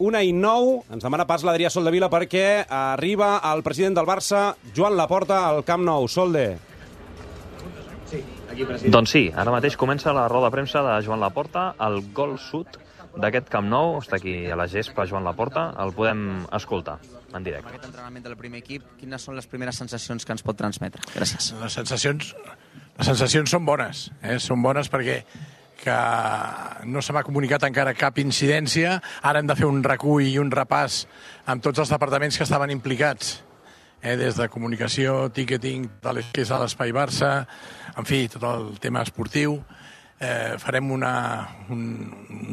1:09, ens demana pas l'Adrià Soldevila perquè arriba el president del Barça, Joan Laporta, al Camp Nou. Solde. Doncs sí, ara mateix comença la roda de premsa de Joan Laporta, el gol sud d'aquest Camp Nou. Està aquí a la gespa Joan Laporta, el podem escoltar en directe. Aquest entrenament del primer equip, quines són les primeres sensacions que ens pot transmetre? Gràcies. Les sensacions són bones, són bones perquè que no se m'ha comunicat encara cap incidència. Ara hem de fer un recull i un repàs amb tots els departaments que estaven implicats, des de comunicació, ticketing, que és a l'Espai Barça, en fi, tot el tema esportiu. Farem un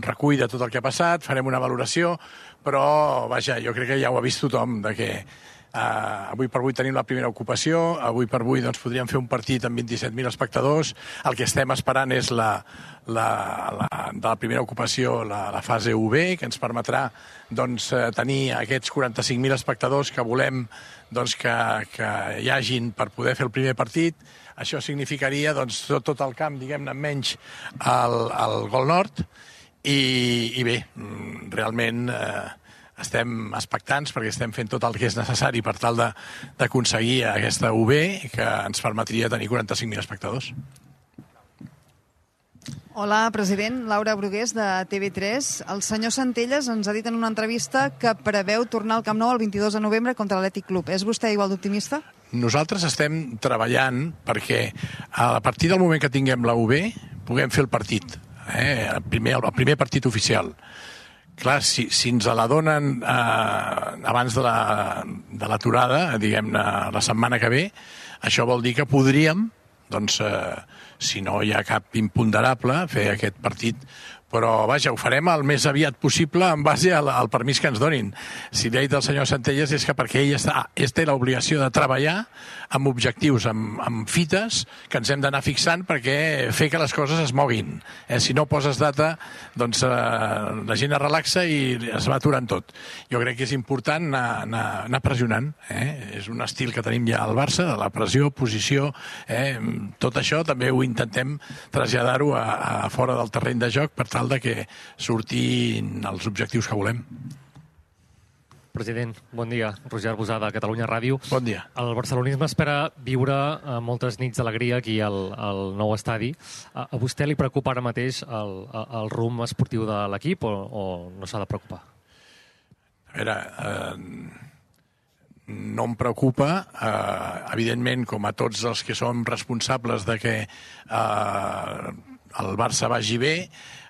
recull de tot el que ha passat, farem una valoració, però, vaja, jo crec que ja ho ha vist tothom, de que avui per avui tenim la primera ocupació, avui per avui doncs, podríem fer un partit amb 27.000 espectadors. El que estem esperant és de la primera ocupació la fase UB, que ens permetrà doncs, tenir aquests 45.000 espectadors que volem doncs, que hi hagin per poder fer el primer partit. Això significaria doncs, tot el camp, diguem-ne, menys el Gol Nord. I bé, realment estem expectants perquè estem fent tot el que és necessari per tal d'aconseguir aquesta UB que ens permetria tenir 45.000 espectadors. Hola, president. Laura Brugués, de TV3. El senyor Centelles ens ha dit en una entrevista que preveu tornar al Camp Nou el 22 de novembre contra l'Atlètic Club. És vostè igual d'optimista? Nosaltres estem treballant perquè a partir del moment que tinguem la UB puguem fer el partit, el primer partit oficial. Clar, si ens la donen abans de l'aturada, diguem-ne, la setmana que ve, això vol dir que podríem, doncs, si no hi ha cap imponderable, fer aquest partit. Però, vaja, ho farem el més aviat possible en base al permís que ens donin. Si l'ha dit el senyor Centelles és que perquè ell té l'obligació de treballar amb objectius, amb fites que ens hem d'anar fixant perquè fer que les coses es moguin. Si no poses data, doncs la gent es relaxa i es va aturant tot. Jo crec que és important anar pressionant. És un estil que tenim ja al Barça, de la pressió, posició, tot això també ho intentem traslladar-ho a fora del terreny de joc per tal de que surtin els objectius que volem. President, bon dia. Roger Arbusada, Catalunya Ràdio. Bon dia. El barcelonisme espera viure moltes nits d'alegria aquí al nou estadi. A vostè li preocupa ara mateix el rumb esportiu de l'equip o no s'ha de preocupar? A veure, no em preocupa. Evidentment, com a tots els que som responsables de que el Barça vagi bé,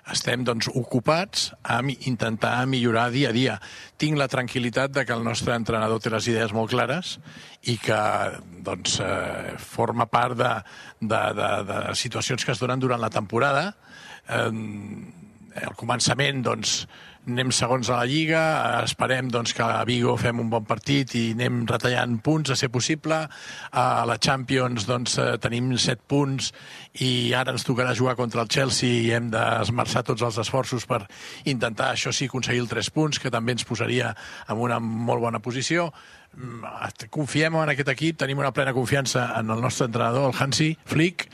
estem doncs, ocupats a intentar millorar dia a dia. Tinc la tranquil·litat de que el nostre entrenador té les idees molt clares i que doncs, forma part de situacions que es donen durant la temporada. Al començament doncs, anem segons a la Lliga, esperem doncs, que a Vigo fem un bon partit i anem retallant punts, a ser possible. A la Champions doncs, tenim 7 punts i ara ens tocarà jugar contra el Chelsea i hem d'esmerçar tots els esforços per intentar, això sí, aconseguir els 3 punts, que també ens posaria en una molt bona posició. Confiem en aquest equip, tenim una plena confiança en el nostre entrenador, el Hansi Flick,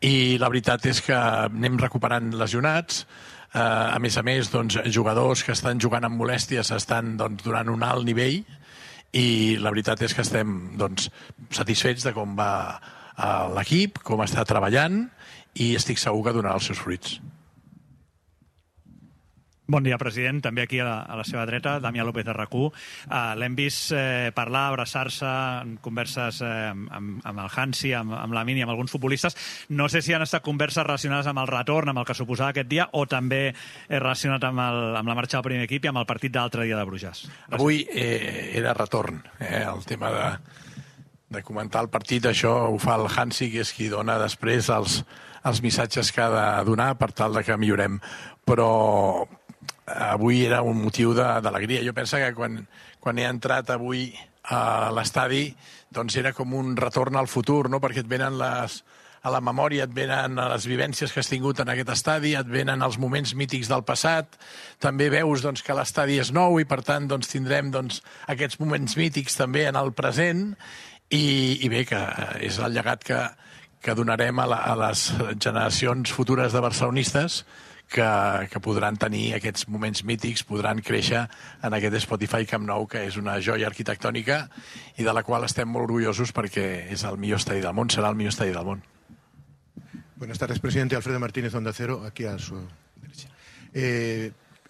i la veritat és que anem recuperant lesionats. A més, doncs, jugadors que estan jugant amb molèsties estan doncs, donant un alt nivell i la veritat és que estem doncs, satisfets de com va l'equip, com està treballant i estic segur que donarà els seus fruits. Bon dia, president. També aquí a la seva dreta, Damià López de RAC1. L'hem vist parlar, abraçar-se en converses amb el Hansi, amb la Mini, amb alguns futbolistes. No sé si han estat converses relacionades amb el retorn, amb el que suposava aquest dia, o també relacionat amb la marxa del primer equip i amb el partit d'altre dia de Brujas. Avui era retorn. El tema de comentar el partit, això ho fa el Hansi, que és qui dona després els missatges que ha de donar per tal de que millorem. Però avui era un motiu d'alegria. Jo penso que quan he entrat avui a l'estadi doncs era com un retorn al futur, no? Perquè et venen a la memòria, et venen les vivències que has tingut en aquest estadi, et venen els moments mítics del passat, també veus doncs, que l'estadi és nou i per tant doncs, tindrem doncs, aquests moments mítics també en el present i bé, que és el llegat que donarem a les generacions futures de barcelonistes que podran tenir aquests moments mítics, podran créixer en aquest Spotify Camp Nou, que és una joia arquitectònica i de la qual estem molt orgullosos perquè és el millor estadi del món, serà el millor estadi del món. Buenas tardes, presidente. Alfredo Martínez, Onda Cero, aquí a su derecha.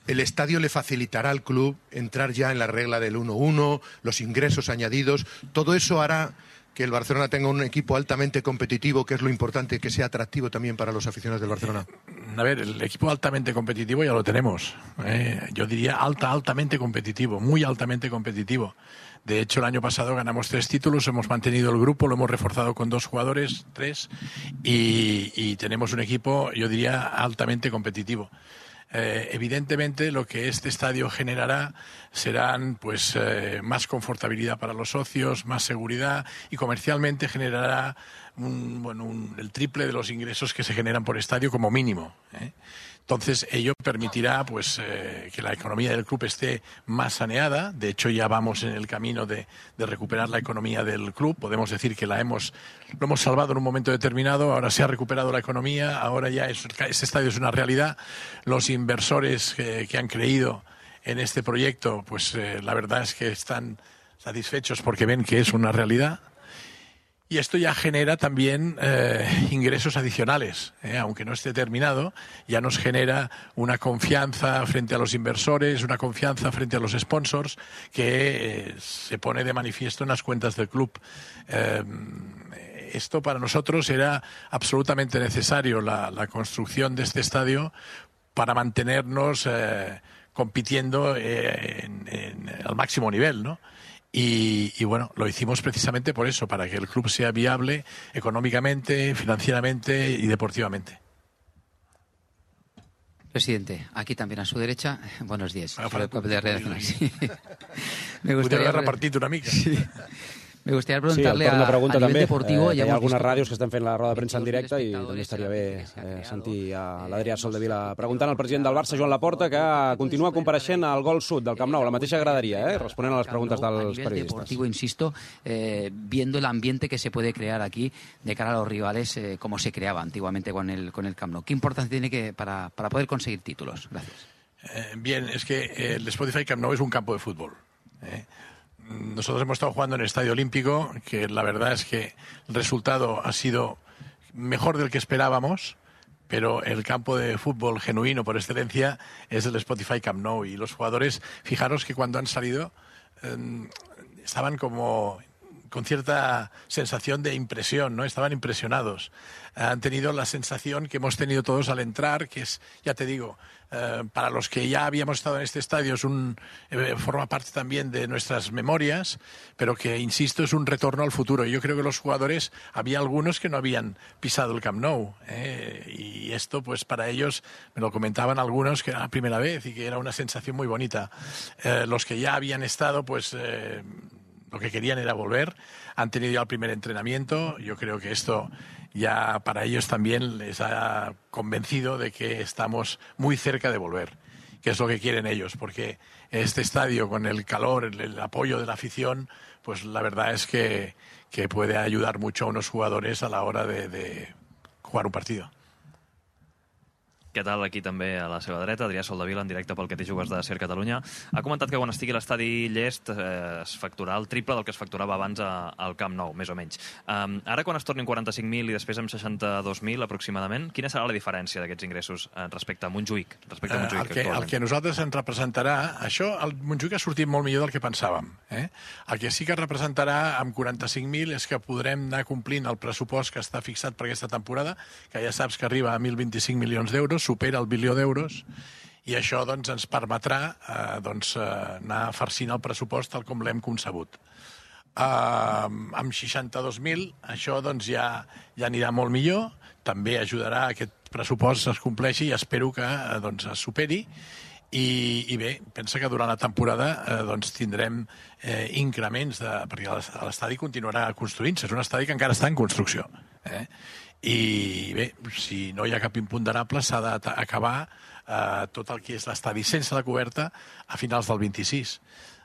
El estadio le facilitará al club entrar ya en la regla del 1-1, los ingresos añadidos. Todo eso hará que el Barcelona tenga un equipo altamente competitivo, que es lo importante, que sea atractivo también para los aficionados del Barcelona. A ver, el equipo altamente competitivo ya lo tenemos. Yo diría altamente competitivo, muy altamente competitivo. De hecho, el año pasado ganamos 3 títulos, hemos mantenido el grupo, lo hemos reforzado con 2 jugadores, 3, y tenemos un equipo, yo diría, altamente competitivo. Evidentemente, lo que este estadio generará serán pues más confortabilidad para los socios, más seguridad, y comercialmente generará el triple de los ingresos que se generan por estadio como mínimo. Entonces, ello permitirá pues que la economía del club esté más saneada. De hecho, ya vamos en el camino de recuperar la economía del club. Podemos decir que lo hemos salvado en un momento determinado. Ahora se ha recuperado la economía. Ahora ya este estadio es una realidad. Los inversores que han creído en este proyecto, pues la verdad es que están satisfechos porque ven que es una realidad. Y esto ya genera también ingresos adicionales, aunque no esté terminado, ya nos genera una confianza frente a los inversores, una confianza frente a los sponsors que se pone de manifiesto en las cuentas del club. Esto para nosotros era absolutamente necesario, la construcción de este estadio, para mantenernos compitiendo al máximo nivel, ¿no? Y bueno, lo hicimos precisamente por eso, para que el club sea viable económicamente, financieramente y deportivamente. Presidente, aquí también a su derecha. Buenos días. Me gustaría haver repartit una mica. Sí. Me gustaría preguntarle una pregunta a nivel també. deportivo. Hi ha algunes ràdios que estan fent la roda de premsa en directe i també estaria bé sentir a l'Adrià Soldevila preguntant al president del Barça, Joan Laporta, que continua compareixent al Gol Sud del Camp Nou, la mateixa graderia, responent a les preguntes dels periodistes. Deportivo, insisto, viendo el ambiente que se puede crear aquí de cara a los rivales, como se creaba antiguamente con el Camp Nou. ¿Qué importancia tiene para poder conseguir títulos? Gracias. Bien, es que el Spotify Camp Nou es un campo de fútbol. Nosotros hemos estado jugando en el Estadio Olímpico, que la verdad es que el resultado ha sido mejor del que esperábamos, pero el campo de fútbol genuino por excelencia es el Spotify Camp Nou. Y los jugadores, fijaros que cuando han salido estaban como con cierta sensación de impresión, ¿no? Estaban impresionados. Han tenido la sensación que hemos tenido todos al entrar, que es, ya te digo, para los que ya habíamos estado en este estadio forma parte también de nuestras memorias, pero que, insisto, es un retorno al futuro. Yo creo que los jugadores, había algunos que no habían pisado el Camp Nou, y esto, pues para ellos, me lo comentaban algunos, que era la primera vez y que era una sensación muy bonita. Los que ya habían estado, pues lo que querían era volver, han tenido ya el primer entrenamiento. Yo creo que esto ya para ellos también les ha convencido de que estamos muy cerca de volver, que es lo que quieren ellos, porque este estadio, con el calor, el apoyo de la afición, pues la verdad es que puede ayudar mucho a unos jugadores a la hora de jugar un partido. Què tal? Aquí també a la seva dreta, Adrià Soldevila, en directe pel Que t'hi jugues de Ser Catalunya. Ha comentat que quan estigui l'estadi llest es facturarà el triple del que es facturava abans al Camp Nou, més o menys. Ara, quan es tornin 45.000 i després amb 62.000 aproximadament, quina serà la diferència d'aquests ingressos respecte a Montjuïc? El que a nosaltres ens representarà, això, el Montjuïc ha sortit molt millor del que pensàvem. El que sí que representarà amb 45.000 és que podrem anar complint el pressupost que està fixat per aquesta temporada, que ja saps que arriba a 1.025 milions d'euros, supera el bilió d'euros, i això doncs, ens permetrà anar farcint el pressupost tal com l'hem concebut. Amb 62.000 això doncs, ja anirà molt millor, també ajudarà a que aquest pressupost es compleixi i espero que es superi. I bé, pensa que durant la temporada tindrem increments, perquè l'estadi continuarà construint-se, és un estadi que encara està en construcció. I bé, si no hi ha cap imponderable, s'ha d'acabar tot el que és l'estadi sense la coberta a finals del 26.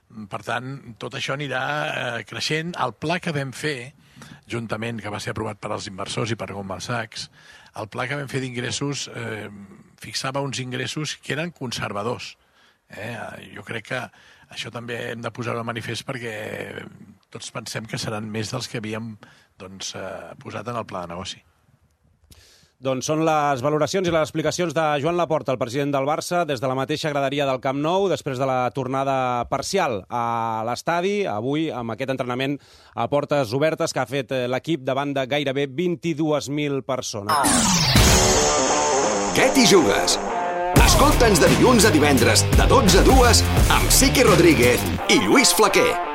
Per tant, tot això anirà creixent. El pla que vam fer, juntament, que va ser aprovat per als inversors i per Goldman Sachs, el pla que vam fer d'ingressos fixava uns ingressos que eren conservadors. Jo crec que això també hem de posar-ho de manifest perquè tots pensem que seran més dels que havíem posat en el pla de negoci. Doncs són les valoracions i les explicacions de Joan Laporta, el president del Barça, des de la mateixa graderia del Camp Nou, després de la tornada parcial a l'estadi, avui amb aquest entrenament a portes obertes que ha fet l'equip davant de gairebé 22.000 persones. Què t'hi jugues? Escolta'ns de dilluns a divendres, de 12 a 2, amb Siqui Rodríguez i Lluís Flaquer.